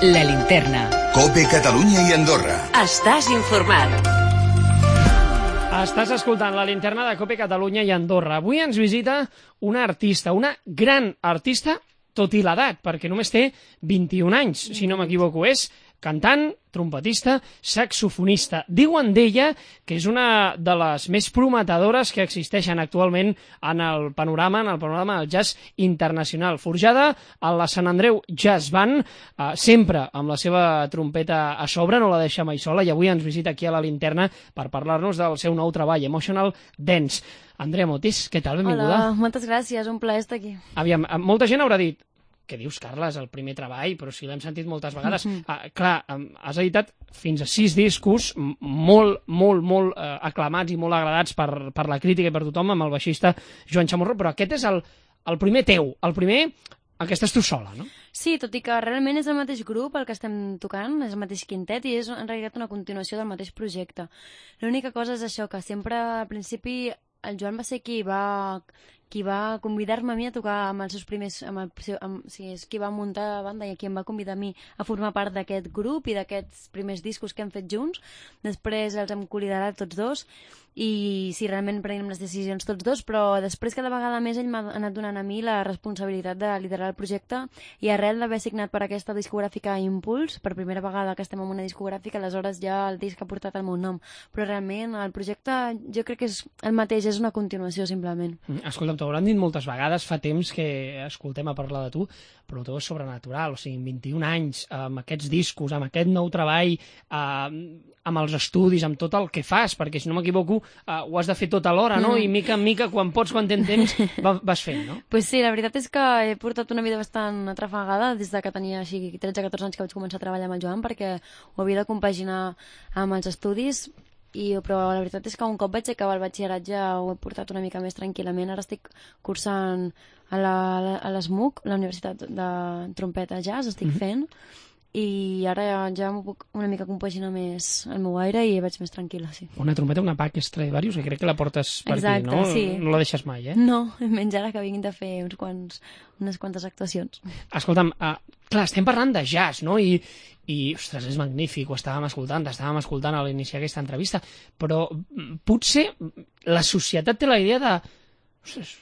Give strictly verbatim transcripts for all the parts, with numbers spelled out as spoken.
La Linterna. COPE Catalunya i Andorra. Estàs informat. Estàs escoltant La Linterna de COPE Catalunya i Andorra. Avui ens visita una artista, una gran artista, tot i l'edat, perquè només té vint-i-un anys, si no m'equivoco. És cantant, trompetista, saxofonista. Diuen d'ella que és una de les més prometedores que existeixen actualment en el panorama, en el panorama del jazz internacional. Forjada a la Sant Andreu Jazz Band, eh, sempre amb la seva trompeta a sobre, no la deixa mai sola, i avui ens visita aquí a La Linterna per parlar-nos del seu nou treball, Emotional Dance. Andrea Motis, què tal? Benvinguda. Hola, moltes gràcies, un plaer estar aquí. Aviam, molta gent haurà dit: què dius, Carla, és el primer treball, però si l'hem sentit moltes vegades. Mm-hmm. ah, clar, has editat fins a sis discos molt, molt, molt eh, aclamats i molt agradats per, per la crítica i per tothom, amb el baixista Joan Chamorro, però aquest és el, el primer teu, el primer en què estàs tu sola, no? Sí, tot i que realment és el mateix grup el que estem tocant, és el mateix quintet i és en realitat una continuació del mateix projecte. L'única cosa és això, que sempre al principi el Joan va ser qui va... qui va convidar-me a mi a tocar amb els seus primers... Amb el, amb, o sigui, és qui va muntar la banda i qui em va convidar a mi a formar part d'aquest grup i d'aquests primers discos que hem fet junts. Després els hem col·liderat tots dos i sí, realment prenem les decisions tots dos, però després cada vegada més ell m'ha anat donant a mi la responsabilitat de liderar el projecte i arrel d'haver signat per aquesta discogràfica Impuls, per primera vegada que estem en una discogràfica, aleshores ja el disc ha portat el meu nom. Però realment el projecte jo crec que és el mateix, és una continuació simplement. Escolta'm, t'ho hauran dit moltes vegades, fa temps que escoltem a parlar de tu, però el teu és sobrenatural, o sigui, amb vint-i-un anys, amb aquests discos, amb aquest nou treball, eh, amb els estudis, amb tot el que fas, perquè si no m'equivoco eh, ho has de fer tot alhora, no? I mica en mica, quan pots, quan tens temps, vas fent, no? Pues sí, la veritat és que he portat una vida bastant atrafegada des de que tenia així tretze o catorze anys que vaig començar a treballar amb el Joan, perquè ho havia de compaginar amb els estudis. I, però la veritat és que un cop vaig acabar el batxilleratge ho he portat una mica més tranquil·lament. Ara estic cursant a la, a l'ESMUC, la Universitat de Trompeta Jazz, estic mm-hmm. fent, i ara ja, ja m'ho puc una mica compaginar més al meu aire i vaig més tranquil·la, sí. Una trompeta, una P A C Stradivarius, que crec que la portes per Exacte, aquí, no? Sí. No la deixes mai, eh? No, menys ara que vinguin de fer uns quants, unes quantes actuacions. Escolta'm, uh, clar, estem parlant de jazz, no? I, i ostres, és magnífic, ho estàvem escoltant, estàvem escoltant a l'iniciar aquesta entrevista, però potser la societat té la idea de ostres,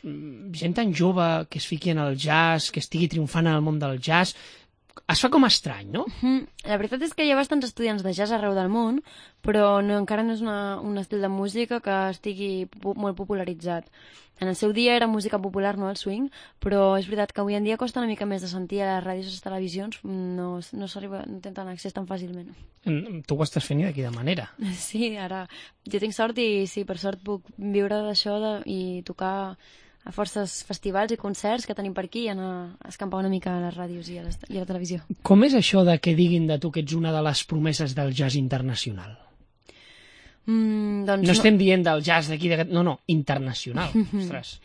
gent tan jove que es fiqui en el jazz, que estigui triomfant en el món del jazz, es fa com estrany, no? Mm, la veritat és que hi ha bastants estudiants de jazz arreu del món, però no, encara no és una, un estil de música que estigui pu molt popularitzat. En el seu dia era música popular, no el swing, però és veritat que avui en dia costa una mica més de sentir a les ràdios i les televisions, no, no s'arriba, no tenen accés tan fàcilment. Tu ho estàs fent i de quina manera? Sí, ara jo tinc sort i sí, per sort puc viure d'això de, i tocar a forces festivals i concerts que tenim per aquí i anar a escampar una mica a les ràdios i a, les, i a la televisió. Com és això de que diguin de tu que ets una de les promeses del jazz internacional? Mm, doncs no, no estem dient del jazz d'aquí, de... no, no, internacional. Ostres.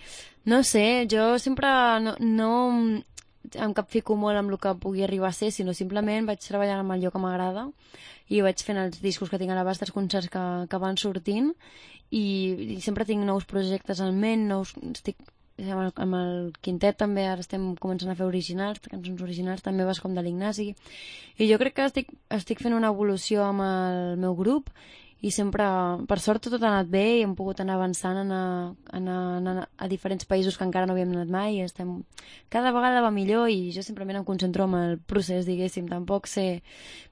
No sé, jo sempre no, no em capfico molt amb el que pugui arribar a ser, sinó simplement vaig treballant amb allò que m'agrada i vaig fent els discos que tinc a l'abast, els concerts que, que van sortint i, i sempre tinc nous projectes en ment, nous, estic amb el, amb el quintet també, ara estem començant a fer originals, cançons originals, també vas com de l'Ignasi, i jo crec que estic, estic fent una evolució amb el meu grup i sempre, per sort, tot ha anat bé i hem pogut anar avançant, anar, anar, anar a diferents països que encara no havíem anat mai i estem... cada vegada va millor i jo simplement em concentro en el procés, diguéssim, tampoc sé...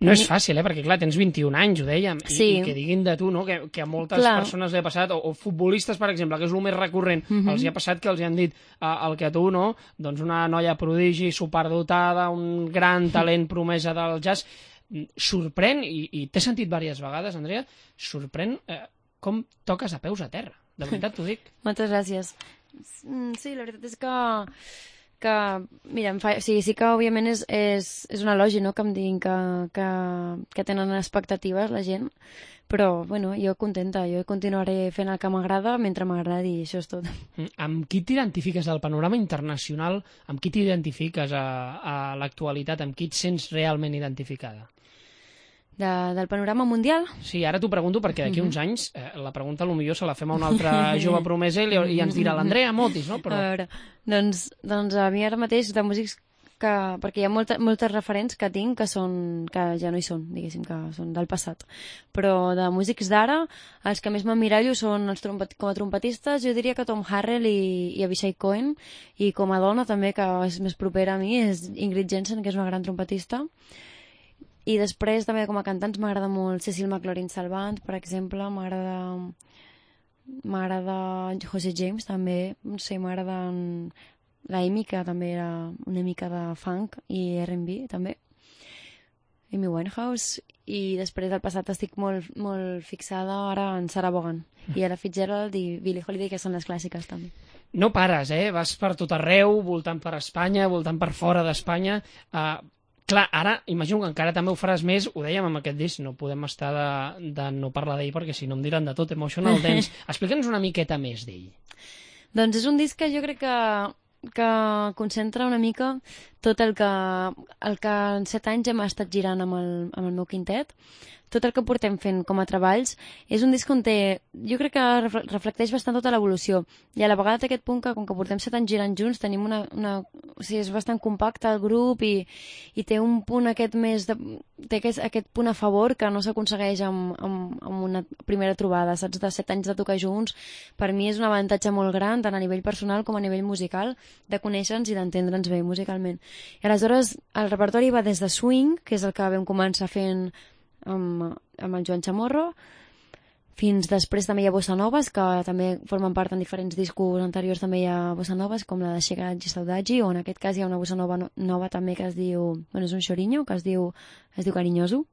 No és fàcil, eh? Perquè clar, tens vint-i-un anys, ho dèiem, i, sí. i que diguin de tu, no? Que, que a moltes clar. persones li ha passat, o, o futbolistes, per exemple, que és el més recurrent, mm-hmm. els hi ha passat que els hi han dit uh, el que a tu, no? Doncs una noia prodigi, superdotada, un gran talent promesa del jazz... sorprèn, i, i t'he sentit diverses vegades, Andrea, sorprèn eh, com toques a peus a terra, de veritat t'ho dic. Moltes gràcies. Sí, la veritat és que que, mira, em fa, sí, sí que òbviament és, és, és un elogi, no?, que em diguin que, que, que tenen expectatives la gent, però, bueno, jo contenta, jo continuaré fent el que m'agrada mentre m'agradi, i això és tot. Amb qui t'identifiques del panorama internacional, amb qui t'identifiques a, a l'actualitat, amb qui et sents realment identificada? De, del panorama mundial? Sí, ara t'ho pregunto perquè d'aquí uns anys eh, la pregunta potser se la fem a una altra jove promesa i, i ens dirà l'Andrea Motis, no? Però... A veure, doncs, doncs a mi ara mateix de músics que, perquè hi ha molta, moltes referents que tinc que, són, que ja no hi són, diguéssim, que són del passat. Però de músics d'ara, els que més m'emmirallo són els trompet, com a trompetistes, jo diria que Tom Harrell i, i Avishai Cohen, i com a dona també, que és més propera a mi, és Ingrid Jensen, que és una gran trompetista. I després també com a cantants m'agrada molt Cecil McLaurin Salvant, per exemple, m'agrada m'agrada José James també, no sé, m'agrada la Amy, que també era una mica de funk, i R and B també, Amy Winehouse, i després del passat estic molt, molt fixada ara en Sarah Vaughan i Ella Fitzgerald i Billie Holiday, que són les clàssiques també. No pares, eh? Vas per tot arreu, voltant per Espanya, voltant per fora d'Espanya. Uh, clar, ara imagino que encara també ho faràs més, ho dèiem amb aquest disc, no podem estar de, de no parlar d'ell perquè si no em diran de tot, Emotional Dance. Explica'ns una miqueta més d'ell. Doncs és un disc que jo crec que que concentra una mica tot el que, el que en set anys hem estat girant amb el, amb el meu quintet, tot el que portem fent com a treballs. És un disc on té, jo crec que reflecteix bastant tota l'evolució, i a la vegada té aquest punt que, com que portem set anys girant junts, tenim una, una, o sigui, és bastant compacte el grup, i, i té un punt aquest més de, té aquest, aquest punt a favor que no s'aconsegueix amb, amb, amb una primera trobada, saps? De set anys de tocar junts, per mi és un avantatge molt gran, tant a nivell personal com a nivell musical, de conèixer-nos i d'entendre'ns bé musicalment. I aleshores el repertori va des de swing, que és el que vam començar fent amb, amb el Joan Chamorro, fins després també hi ha bossa noves, que també formen part en diferents discos anteriors, també hi ha bossa noves, com la de Xegat i Saudade, o en aquest cas hi ha una bossa nova, nova també que es diu, bueno, és un xorinho, que es diu, es diu Carinyoso.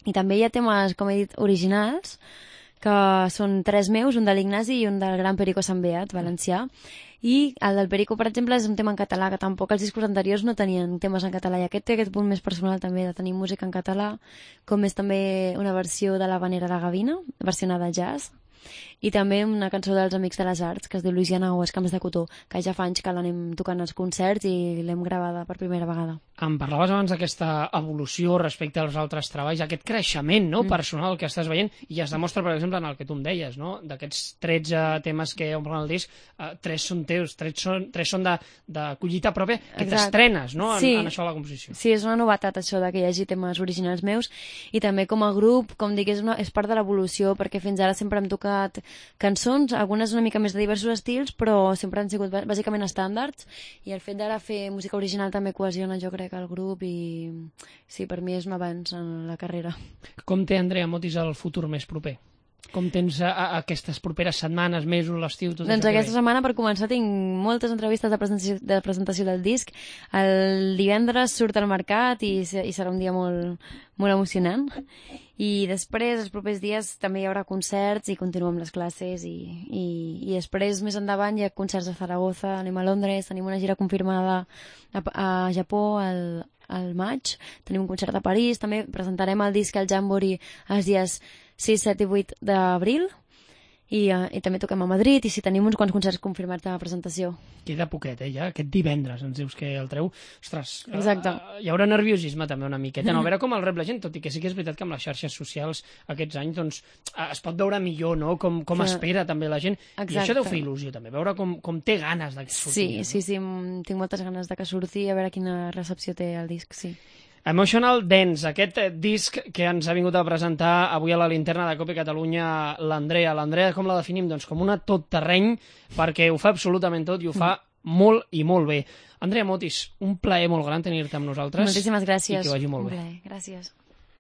I també hi ha temes, com he dit, originals, que són tres meus, un de l'Ignasi i un del gran Perico Sant Beat, valencià. I el del Perico, per exemple, és un tema en català, que tampoc els discos anteriors no tenien temes en català, i aquest té aquest punt més personal també de tenir música en català, com és també una versió de l'Havanera de Gavina, versionada al jazz, i també una cançó dels Amics de les Arts, que es diu Louisiana o Els Camps de Cotó, que ja fa anys que l'anem tocant als concerts i l'hem gravada per primera vegada. Em parlaves abans d'aquesta evolució respecte als altres treballs, aquest creixement, no?, mm. personal que estàs veient, i es demostra, per exemple, en el que tu em deies, no?, d'aquests tretze temes que omplen el disc, uh, tres són teus, tres són, tres són de, de collita pròpia, que t'estrenes, no?, en, sí. en això de la composició. Sí, és una novetat això de que hi hagi temes originals meus, i també com a grup, com dic, és, una, és part de l'evolució, perquè fins ara sempre hem tocat cançons, algunes una mica més de diversos estils, però sempre han sigut bàsicament estàndards, i el fet d'ara fer música original també cohesiona, jo crec, el grup, i sí, per mi és un avanç en la carrera. Com té Andrea Motis el futur més proper? Com tens a, a aquestes properes setmanes, mesos, l'estiu, tot doncs això? Aquesta setmana, per començar, tinc moltes entrevistes de presentació, de presentació del disc. El divendres surt al mercat i, i serà un dia molt, molt emocionant. I després, els propers dies, també hi haurà concerts i continuem les classes. I, i, i després, més endavant, hi ha concerts a Zaragoza, anem a Londres, tenim una gira confirmada a, a Japó al, al maig, tenim un concert a París, també presentarem el disc al Jamboree els dies sis, set i vuit d'abril, i, uh, i també toquem a Madrid, i si tenim uns quants concerts confirmats de presentació. Queda poquet, eh, ja? Aquest divendres ens dius que el treu. Ostres, exacte. Uh, hi haurà nerviosisme també una miqueta, no? A veure com el rep la gent, tot i que sí que és veritat que amb les xarxes socials aquests anys doncs, uh, es pot veure millor, no?, com, com que... espera també la gent. Exacte. I això deu fer il·lusió també, veure com, com té ganes de que surti. Sí, no? sí, sí, tinc moltes ganes de que surti, a veure quina recepció té el disc, sí. Emotional Dance, aquest disc que ens ha vingut a presentar avui a la linterna de Cope Catalunya l'Andrea. L'Andrea com la definim? Doncs com una tot terreny, perquè ho fa absolutament tot i ho fa molt i molt bé. Andrea Motis, un plaer molt gran tenir-te amb nosaltres. Moltíssimes gràcies. I que vagi molt bé. Gràcies.